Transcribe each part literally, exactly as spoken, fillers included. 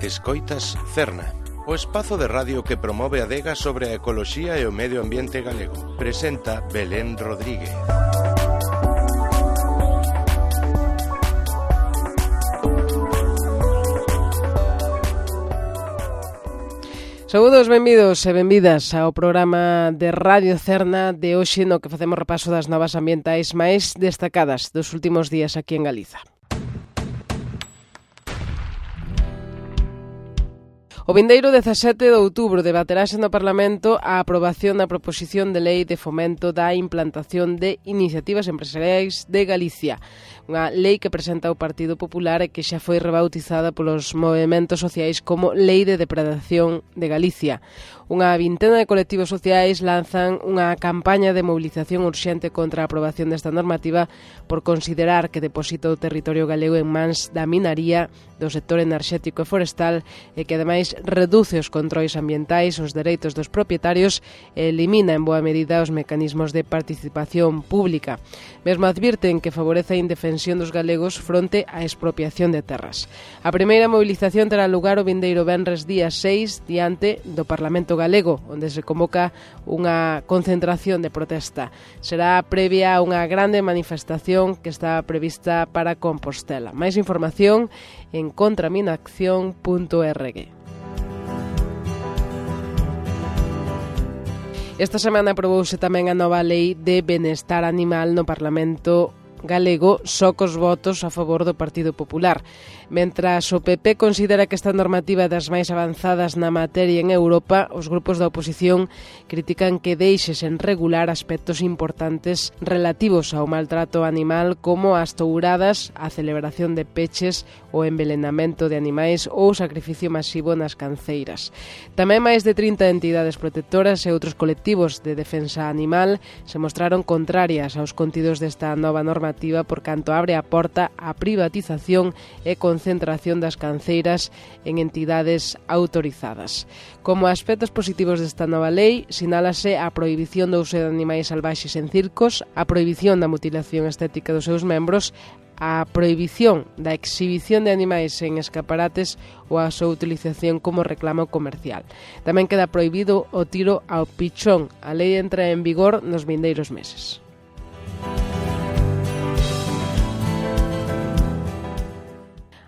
Escoitas Cerna, o espazo de radio que promove a adega sobre a ecoloxía e o medio ambiente galego. Presenta Belén Rodríguez. Saúdos, benvidos e benvidas ao programa de Radio Cerna de hoxe, no que facemos repaso das novas ambientais máis destacadas dos últimos días aquí en Galiza. O vindeiro dezasete de outubro debaterase no Parlamento a aprobación da proposición de lei de fomento da implantación de iniciativas empresariais de Galicia, unha lei que presenta o Partido Popular e que xa foi rebautizada polos movementos sociais como Lei de Depredación de Galicia. Unha vintena de colectivos sociais lanzan unha campaña de movilización urxente contra a aprobación desta normativa por considerar que deposita o territorio galego en mans da minaría, do sector enerxético e forestal e que ademais reduce os controis ambientais, os dereitos dos propietarios e elimina en boa medida os mecanismos de participación pública. Mesmo advirten que favorece a indefensión dos galegos fronte á expropiación de terras. A primeira movilización terá lugar o vindeiro venres día seis diante do Parlamento galego, onde se convoca unha concentración de protesta. Será previa a unha grande manifestación que está prevista para Compostela. Máis información en contraminacción punto org. Esta semana aprobouse tamén a nova lei de benestar animal no Parlamento galego, só cos votos a favor do Partido Popular. Mentras o P P considera que esta normativa é das máis avanzadas na materia en Europa, os grupos da oposición critican que deixe sen regular aspectos importantes relativos ao maltrato animal como as touradas, a celebración de peches, o envelenamento de animais ou o sacrificio masivo nas canceiras. Tamén máis de trinta entidades protectoras e outros colectivos de defensa animal se mostraron contrarias aos contidos desta nova normativa por canto abre a porta á privatización e concentración das canceiras en entidades autorizadas. Como aspectos positivos desta nova lei, sinálase a prohibición do uso de animais salvaxes en circos, a prohibición da mutilación estética dos seus membros, a prohibición da exhibición de animais en escaparates ou a súa utilización como reclamo comercial. Tamén queda prohibido o tiro ao pichón. A lei entra en vigor nos vindeiros meses.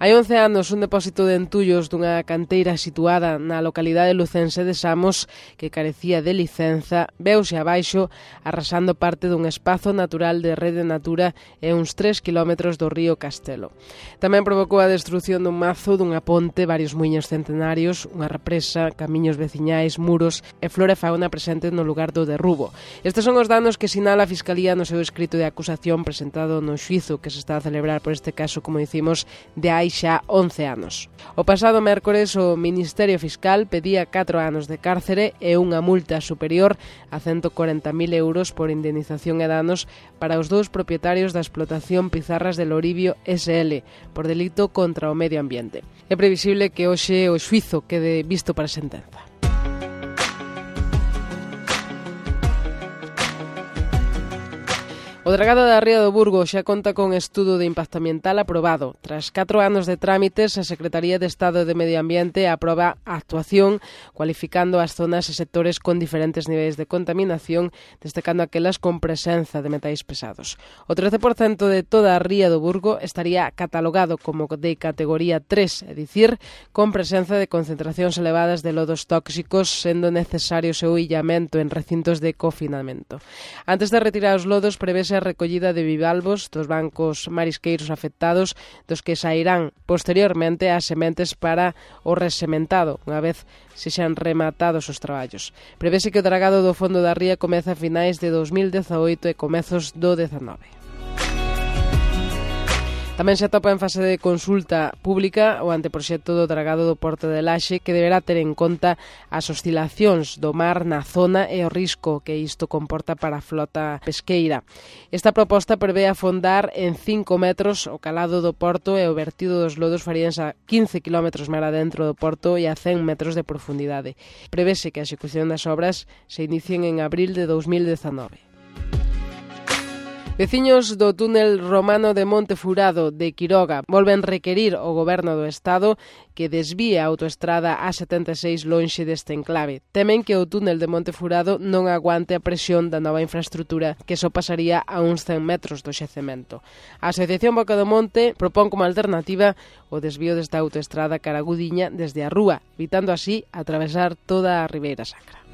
Hai once anos, un depósito de entullos dunha canteira situada na localidade lucense de Samos, que carecía de licenza, veuse abaixo arrasando parte dun espazo natural de Rede Natura e uns tres kilómetros do río Castelo. Tamén provocou a destrución dun mazo, dunha ponte, varios muiños centenarios, unha represa, camiños veciñais, muros e flora e fauna presente no lugar do derrubo. Estes son os danos que sinala a Fiscalía no seu escrito de acusación presentado no xuízo que se está a celebrar por este caso, como dicimos, de hai xa once anos. O pasado mércores o Ministerio Fiscal pedía catro anos de cárcere e unha multa superior a ciento corenta mil euros por indemnización e danos para os dous propietarios da explotación Pizarras del Oribio S L por delito contra o medio ambiente. É previsible que hoxe o xuízo quede visto para sentenza. O Dragado da Ría do Burgo xa conta con estudo de impacto ambiental aprobado. Tras catro anos de trámites, a Secretaría de Estado de Medio Ambiente aproba a actuación cualificando as zonas e sectores con diferentes niveis de contaminación, destacando aquelas con presenza de metais pesados. O trece por cento de toda a Ría do Burgo estaría catalogado como de categoría tres, é dicir, con presenza de concentracións elevadas de lodos tóxicos, sendo necesario o seu illamento en recintos de confinamento. Antes de retirar os lodos, prevese a recollida de bivalvos dos bancos marisqueiros afectados, dos que sairán posteriormente as sementes para o resementado, unha vez se xan rematados os traballos. Prevese que o dragado do fondo da ría comeza a finais de dos mil dezaoito e comezos do dezanove. Tamén se atopa en fase de consulta pública o anteproxecto do dragado do Porto de Laxe, que deberá ter en conta as oscilacións do mar na zona e o risco que isto comporta para a flota pesqueira. Esta proposta prevé afondar en cinco metros o calado do porto e o vertido dos lodos faríanse a quince kilómetros mar adentro do porto e a cen metros de profundidade. Prevese que a execución das obras se inicien en abril de dos mil dezanove. Veciños do túnel romano de Monte Furado de Quiroga volven requerir ao Goberno do Estado que desvíe a autoestrada A setenta e seis lonxe deste enclave. Temen que o túnel de Monte Furado non aguante a presión da nova infraestrutura, que só pasaría a uns cen metros do xecemento. A Asociación Boca do Monte propón como alternativa o desvío desta autoestrada cara a Gudiña desde a Rúa, evitando así atravesar toda a Ribeira Sacra.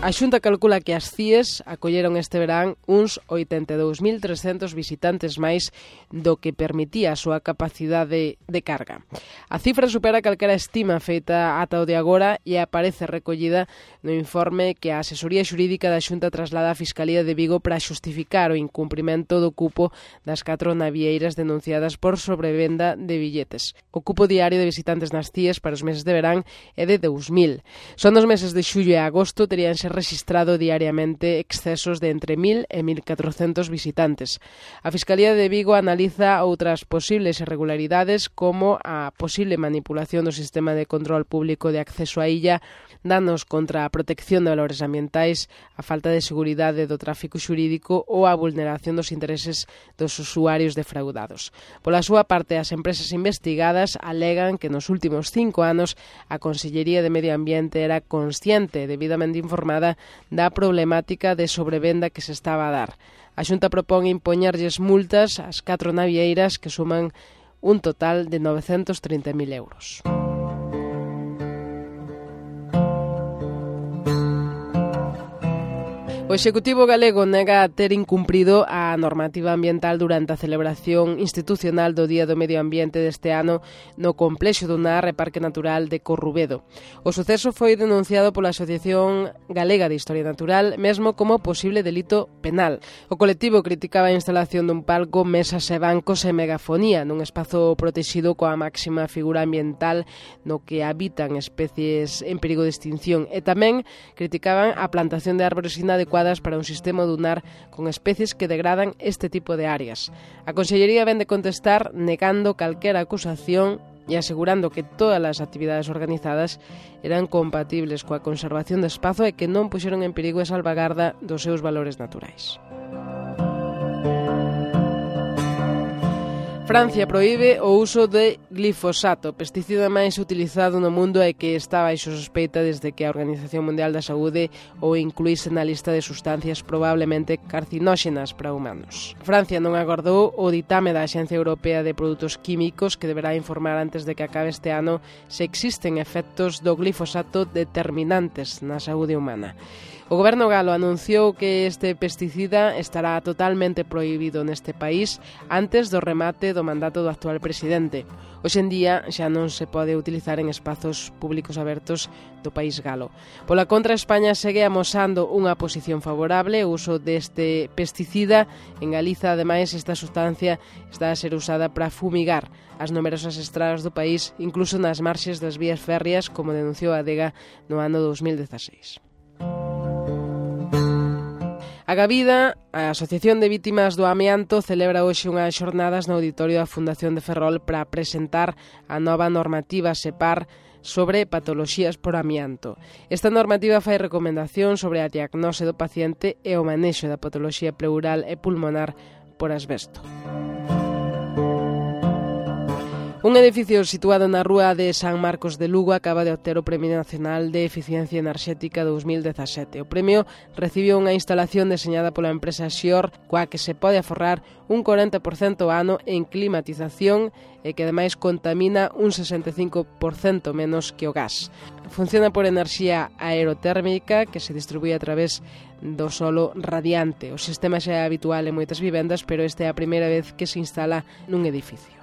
A Xunta calcula que as C I Es acolleron este verán uns oitenta e dous mil trescentos visitantes máis do que permitía a súa capacidade de carga. A cifra supera calquera estima feita ata o de agora e aparece recollida no informe que a asesoría xurídica da Xunta traslada á Fiscalía de Vigo para xustificar o incumprimento do cupo das catro navieiras denunciadas por sobrevenda de billetes. O cupo diario de visitantes nas C I Es para os meses de verán é de dous mil. Son dos meses de xullo e agosto teríanse registrado diariamente excesos de entre mil e mil catrocentos visitantes. A Fiscalía de Vigo analiza outras posibles irregularidades como a posible manipulación do sistema de control público de acceso á illa, danos contra a protección de valores ambientais, a falta de seguridade do tráfico xurídico ou a vulneración dos intereses dos usuarios defraudados. Pola súa parte, as empresas investigadas alegan que nos últimos cinco anos a Consellería de Medio Ambiente era consciente, debidamente informada, da problemática de sobrevenda que se estaba a dar. A Xunta propón impoñerlles multas ás catro navieiras que suman un total de novecentos trinta mil euros. O Executivo galego nega ter incumprido a normativa ambiental durante a celebración institucional do Día do Medio Ambiente deste ano no complexo do Nar e Parque Natural de Corrubedo. O suceso foi denunciado pola Asociación Galega de Historia Natural mesmo como posible delito penal. O colectivo criticaba a instalación dun palco, mesas e bancos e megafonía nun espazo protexido coa máxima figura ambiental no que habitan especies en perigo de extinción e tamén criticaban a plantación de árbores inadecuadas para un sistema dunar con especies que degradan este tipo de áreas. A Consellería vén de contestar negando calquera acusación e asegurando que todas as actividades organizadas eran compatibles coa conservación do espazo e que non puxeron en perigo a salvagarda dos seus valores naturais. Francia proíbe o uso de glifosato, pesticida máis utilizado no mundo e que está baixo sospeita desde que a Organización Mundial da Saúde o incluíse na lista de sustancias probablemente carcinóxenas para humanos. Francia non agardou o ditame da Axencia Europea de Produtos Químicos que deberá informar antes de que acabe este ano se existen efectos do glifosato determinantes na saúde humana. O Goberno galo anunciou que este pesticida estará totalmente prohibido neste país antes do remate do mandato do actual presidente. Hoxe en día xa non se pode utilizar en espazos públicos abertos do país galo. Pola contra, España segue amosando unha posición favorable ao uso deste pesticida. En Galiza, ademais, esta sustancia está a ser usada para fumigar as numerosas estradas do país, incluso nas marxes das vías férreas, como denunciou a Adega no ano dos mil dezaseis. A Gavida, a Asociación de Vítimas do Amianto, celebra hoxe unhas xornadas no auditorio da Fundación de Ferrol para presentar a nova normativa SEPAR sobre patoloxías por amianto. Esta normativa fai recomendación sobre a diagnose do paciente e o manexo da patoloxía pleural e pulmonar por asbesto. Un edificio situado na rúa de San Marcos de Lugo acaba de obter o Premio Nacional de Eficiencia Enerxética dous mil dezasete. O premio recibiu unha instalación deseñada pola empresa Xior, coa que se pode aforrar un corenta por cento ao ano en climatización e que ademais contamina un sesenta e cinco por cento menos que o gas. Funciona por enerxía aerotérmica que se distribúe a través do solo radiante. O sistema xa é habitual en moitas vivendas, pero esta é a primeira vez que se instala nun edificio.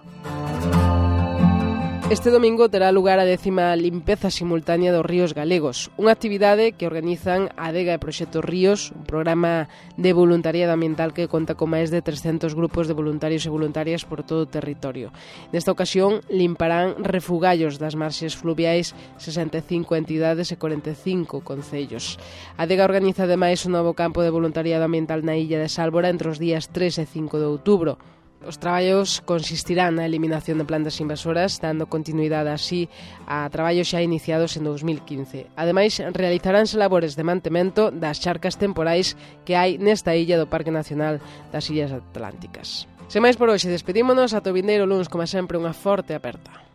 Este domingo terá lugar a décima limpeza simultánea dos ríos galegos, unha actividade que organizan a Adega e Proxecto Ríos, un programa de voluntariado ambiental que conta con máis de trescentos grupos de voluntarios e voluntarias por todo o territorio. Nesta ocasión limparán refugallos das marxes fluviais sesenta e cinco entidades e corenta e cinco concellos. A Adega organiza ademais un novo campo de voluntariado ambiental na illa de Sálvora entre os días tres e cinco de outubro. Os traballos consistirán na eliminación de plantas invasoras, dando continuidade así a traballos xa iniciados en dous mil quince. Ademais, realizaránse labores de mantemento das charcas temporais que hai nesta illa do Parque Nacional das Illas Atlánticas. Sen máis por hoxe, despedímonos ata o vindeiro luns, como sempre, unha forte aperta.